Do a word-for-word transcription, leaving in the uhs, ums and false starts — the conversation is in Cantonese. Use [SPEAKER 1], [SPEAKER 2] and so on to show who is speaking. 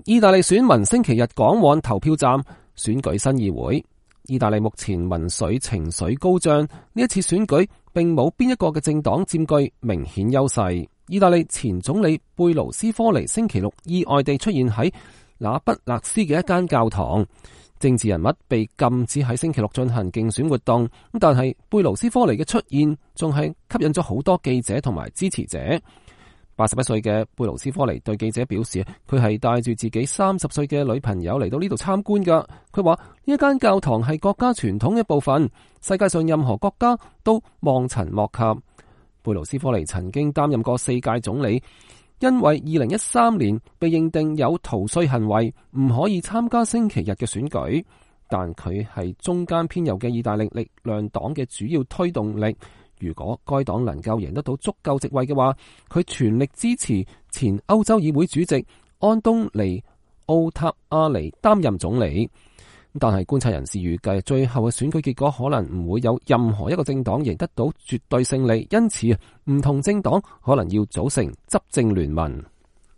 [SPEAKER 1] 意大利選民星期日趕往投票站選舉新議會。意大利目前民粹情緒高漲，呢一次選舉並冇邊一個嘅政黨佔據明顯優勢。意大利前總理貝盧斯科尼星期六意外地出現喺那不勒斯嘅一間教堂，政治人物被禁止喺星期六進行競選活動，但係貝盧斯科尼嘅出現仲係吸引咗好多記者同埋支持者。八十一歲嘅貝盧斯科尼對記者表示，佢係帶住自己三十歲嘅女朋友嚟到呢度參觀噶。佢話呢一間教堂係國家傳統嘅一部分，世界上任何國家都望塵莫及。貝盧斯科尼曾經擔任過四屆總理，因為二零一三年被認定有逃稅行為，唔可以參加星期日嘅選舉。但佢係中間偏右嘅意大利力量黨嘅主要推動力。如果該黨能夠贏得到足夠席位嘅話，佢全力支持前歐洲議會主席安東尼奧塔亞尼擔任總理。但係觀察人士預計，最後嘅選舉結果可能唔會有任何一個政黨贏得到絕對勝利，因此唔同政黨可能要組成執政聯盟。